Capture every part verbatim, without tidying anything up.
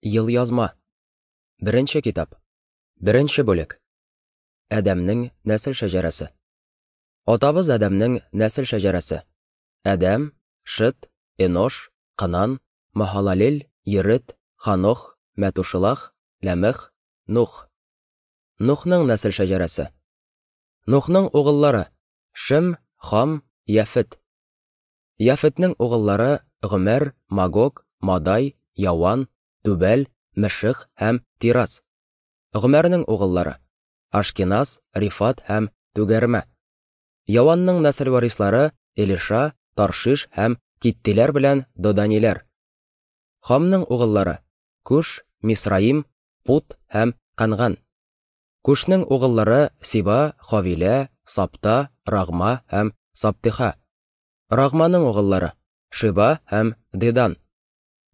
Елъязма. Беренче китап. Беренче бүлек. Адәмнең нәсел шәҗәрәсе. Атабыз Адәмнең нәсел шәҗәрәсе. Адәм, Шит, Энош, Кынан, Махалалел, Ерет, Ханох, Мәтушылах, Ләмех, Нух. Нухның нәсел шәҗәрәсе. Нухның угыллары: Шем, Хам, Яфет. Яфетнең угыллары: Гомәр, Магог, Мадай, Яван, Түбәл, Мешех һәм Тирас. Гомәрнең угыллары: Ашкеназ, Рифат һәм Түгәрмә. Яванның нәсел варислары: Элиша, Таршиш һәм Киттиләр белән Доданиләр. Хамның угыллары: Куш, Мисраим, Пут һәм Канган. Кушның угыллары: Сиба, Хавилә, Сапта, Рагма һәм Саптиха. Рагманың угыллары: Шиба һәм Дедан.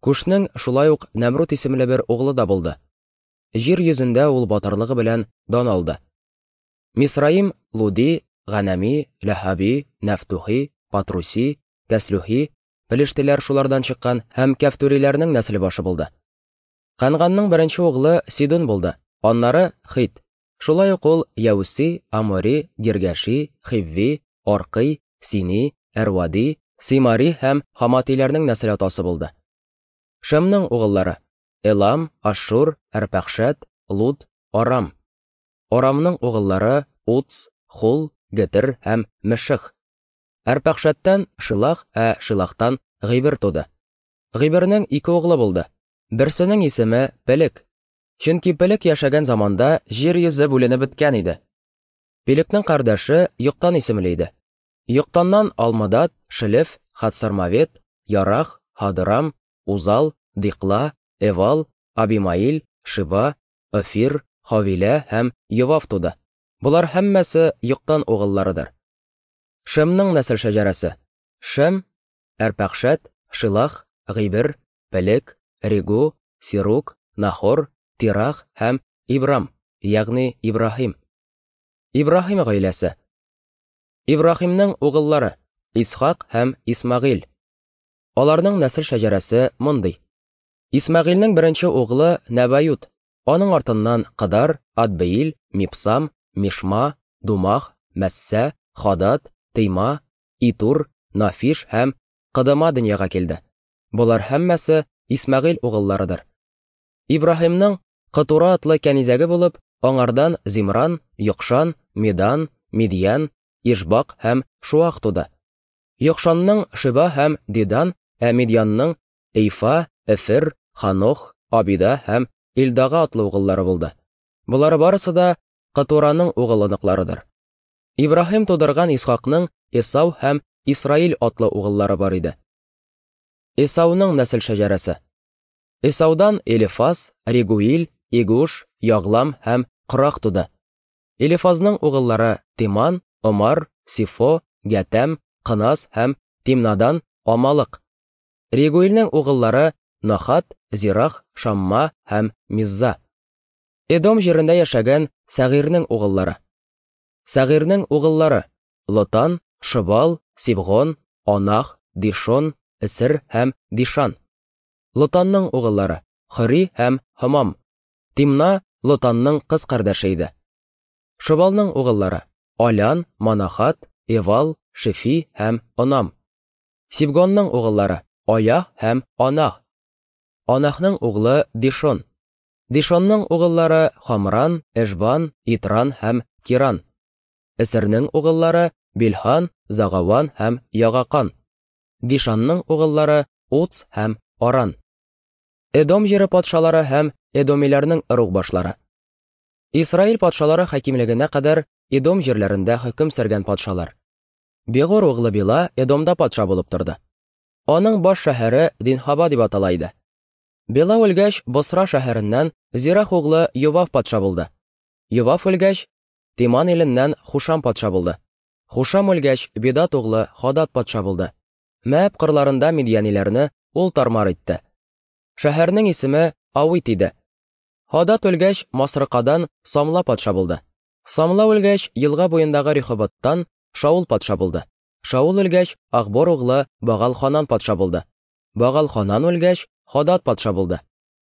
Кушның шулай ук Нәмрут исемле бер углы да булды. Җир йөзендә ул батырлыгы белән дан алды. Мисраим, Луди, Ганами, Ләһаби, Нәфтухи, Патруси, Кәслүхи, Пелештиләр шулардан чыккан һәм Кәфтүриләрнең нәсел башы булды. Канганның беренче углы Сидон булды, аннары Хит. Шулай ук ул Яуси, Амори, Гиргәши, Хивви, Аркый, Сини, Әрвади, Симари һәм Хаматиләрнең нәсел атасы булды. Шемнең угыллары: Элам, Ашшур, Әрпәхшәт, Луд, Арам. Арамның угыллары: Уц, Хул, Гетер һәм Мешех. Әрпәхшәттән Шилах, ә Шилахтан Гыйбер туды. Гыйбернең ике углы булды. Берсенең исеме Пелек. Чөнки Пелек яшәгән заманда җир йөзе бүленеп беткән иде. Пелекнең кардәше Йоктан исемле иде. Йоктаннан Алмадат, Шелеф, Хатсармавет, Ярах, Хадырам, Узал, Дикла, Эвал, Абимаил, Шиба, Офир, Хавилә һәм Йовав туды. Болар һәммәсе Йоктан угылларыдыр. Шемнең нәсел шәҗәрәсе: Шем, Әрпәхшәт, Шилах, Гыйбер, Пелек, Регу, Сирук, Нахор, Тирах һәм Ибрам, ягъни Ибраһим. Ибраһим гаиләсе. Ибраһимның угыллары: Исхак һәм Исмагыйль. Аларның нәсел шәҗәрәсе мондый. Исмагыйльнең беренче углы Нәбают, аның артыннан Кыдар, Адбеил, Мипсам, Мишма, Думах, Мәссә, Хадад, Тейма, Итур, Нафиш һәм Кыдыма дөньяга килде. Болар һәммәсе Исмагыйль угылларыдыр. Ибраһимның Кытура атлы кәнизәге булып, аңардан Зимран, Йокшан, Медан, Мидьян, Ишбак һәм Шуах туды. Йокшанның Шиба һәм Дидан, ә Мидьянның Эйфа, Эфер, Ханох, Абида һәм Илдага атлы угыллары булды. Болар барысы да Кытураның угыл-оныкларыдыр. Ибраһим тудырган Исхакның Эсау һәм Исраил атлы угыллары бар иде. Эсауның нәсел шәҗәрәсе. Эсаудан Элифаз, Регуил, Игуш, Яглам һәм Кырак туды. Элифазның угыллары Тиман, Омар, Сифо, Гәтәм, Кынас һәм Тимнадан Амалык. Регуилнең угыллары Нахат, Зирах, Шамма һәм Мизза. Эдом җирендә яшәгән Сәгыйрнең угыллары. Сәгыйрнең угыллары: Лотан, Шыбал, Сибгон, Анах, Дишон, Эсер һәм Дишан. Лотанның угыллары: Хори һәм Һамам. Тимна Лотанның кыз кардәше иде. Шыбалның угыллары: Алян, Манахат, Эвал, Шефи һәм Онам. Сибгонның угыллары: Аяһ һәм Анах. Анахның углы Дишон. Дишонның угыллары Хамран, Эшбан, Итран һәм Киран. Эсернең угыллары Билхан, Загаван һәм Ягакан. Дишанның угыллары Уц һәм Аран. Эдом җире патшалары һәм Эдомиләрнең ыруг башлары. Исраил патшалары хакимлегенә кадәр Эдом җирләрендә хөкем сөргән патшалар. Бегор углы Била Эдомда патша булып торды. Аның баш шәһәре Динхаба дип атала иде. Бела үлгәч, Босра шәһәреннән Зирах углы Йовав патша булды. Йовав үлгәч, Тиман иленнән Хушам патша булды. Хушам үлгәч, Бедат углы Хадад патша булды. Мәәб кырларында мидьяниләрне ул тармар итте. Шәһәрнең исеме Авит иде. Хадад үлгәч, Масрыкадан Самла патша булды. Самла үлгәч, елга буендагы Рехоботтан Шаул патша булды. Шаул үлгәч, Ахбор углы Багал-Ханан патша булды. Багал-Ханан үлгәч, Хадад патша булды.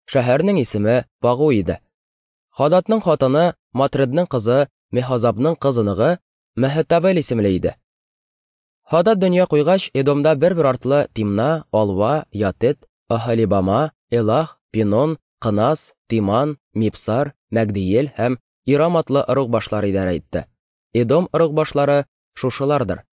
Шәһәрнең исеме Пагу иде. Хададның хатыны Матредның кызы Мехазабның кыз оныгы Мәһетабел исемле иде. Хадад дөнья куйгач, Эдомда бер-бер артлы Тимна, Алва, Ятет, Ахалибама, Элах, Пинон, Кынас, Тиман, Мипсар, Мәгдиел һәм Ирам атлы ыруг башлары идарә итте. Эдом ыруг башлары шушылардыр.